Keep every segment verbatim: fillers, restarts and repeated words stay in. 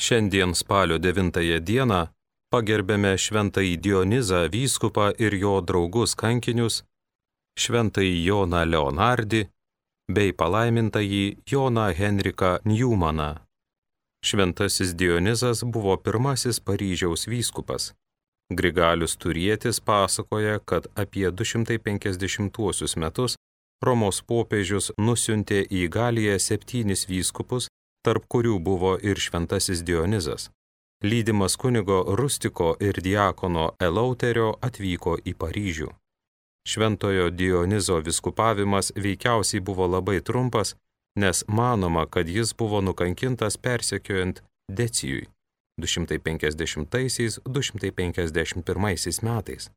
Šiandien spalio devintąją dieną pagerbėme šventąjį Dionizą vyskupą ir jo draugus kankinius, šventąjį Joną Leonardį bei palaimintąjį Joną Henriką Njumaną. Šventasis Dionizas buvo pirmasis Paryžiaus vyskupas. Grigalius Turietis pasakoja, kad apie du šimtai penkiasdešimtuosius metus Romos popiežius nusiuntė į Galiją septynis vyskupus, tarp kurių buvo ir šventasis Dionizas. Lydimas kunigo Rustiko ir diakono Eleuterio atvyko į Paryžių. Šventojo Dionizo vyskupavimas veikiausiai buvo labai trumpas, nes manoma, kad jis buvo nukankintas persekiojant Decijui du šimtai penkiasdešimtaisiais - du šimtai penkiasdešimt pirmaisiais metais,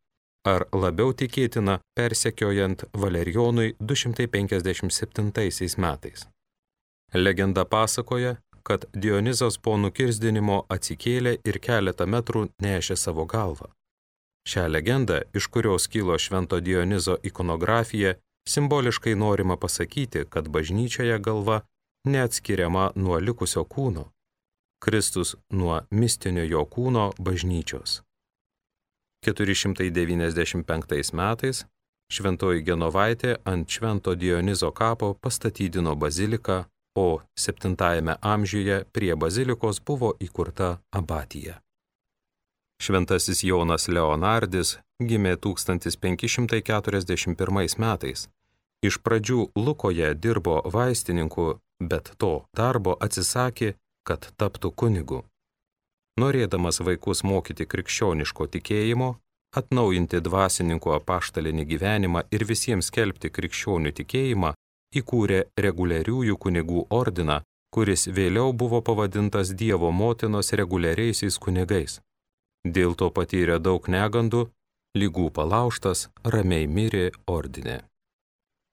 ar labiau tikėtina persekiojant Valerijonui du šimtai penkiasdešimt septintaisiais metais. Legenda pasakoja, kad Dionizas po nukirsdinimo atsikėlė ir keletą metrų nešė savo galvą. Šią legendą, iš kurios kilo švento Dionizo ikonografija, simboliškai norima pasakyti, kad bažnyčioje galva neatskiriama nuo likusio kūno, Kristus nuo mistinio jo kūno bažnyčios. keturi šimtai devyniasdešimt penktais metais šventoji Genovaitė ant švento Dionizo kapo pastatydino baziliką, o septintajame amžiuje prie bazilikos buvo įkurta abatija. Šventasis Jonas Leonardis gimė tūkstantis penki šimtai keturiasdešimt pirmais metais. Iš pradžių Lukoje dirbo vaistininku, bet to darbo atsisakė, kad taptų kunigu. Norėdamas vaikus mokyti krikščioniško tikėjimo, atnaujinti dvasininkų apaštalinį gyvenimą ir visiems skelbti krikščionių tikėjimą, įkūrė reguliariųjų kunigų ordiną, kuris vėliau buvo pavadintas Dievo motinos reguliariaisiais kunigais. Dėl to patyrė daug negandų, ligų palaužtas, ramiai mirė ordine.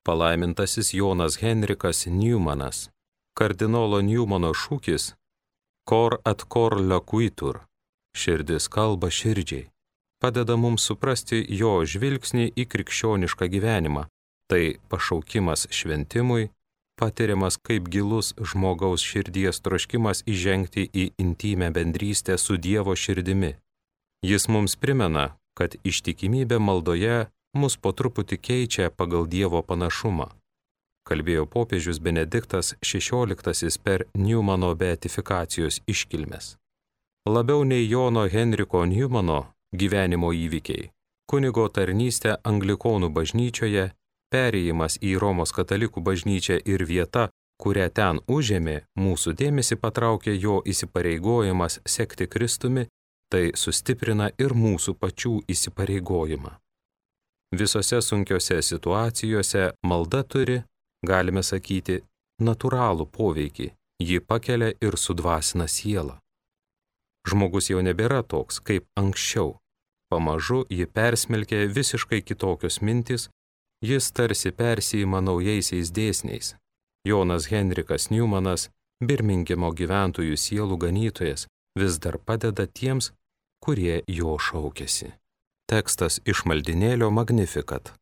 Palaimintasis Jonas Henrikas Njumanas. Kardinolo Njumano šūkis Cor ad cor loquitur, širdis kalba širdžiai, padeda mums suprasti jo žvilgsnį į krikščionišką gyvenimą. Tai pašaukimas šventimui, patiriamas kaip gilus žmogaus širdies troškimas įžengti į intymę bendrystę su Dievo širdimi. Jis mums primena, kad ištikimybė maldoje mus po truputį keičia pagal Dievo panašumą, kalbėjo popiežius Benediktas šešioliktasis per Njumano beatifikacijos iškilmes. Labiau nei Jono Henriko Njumano gyvenimo įvykiai, kunigo tarnystė anglikonų bažnyčioje, perėjimas į Romos katalikų bažnyčią ir vieta, kurią ten užėmė, mūsų dėmesį patraukė jo įsipareigojimas sekti Kristumi, tai sustiprina ir mūsų pačių įsipareigojimą. Visose sunkiose situacijose malda turi, galime sakyti, natūralų poveikį, ji pakelia ir sudvasina sielą. Žmogus jau nebėra toks, kaip anksčiau. Pamažu ji persmelkia visiškai kitokios mintis, jis tarsi persijima naujaisiais dėsniais. Jonas Henrikas Njumanas, Birmingemo gyventojų sielų ganytojas, vis dar padeda tiems, kurie jo šaukiasi. Tekstas iš maldinėlio Magnificat.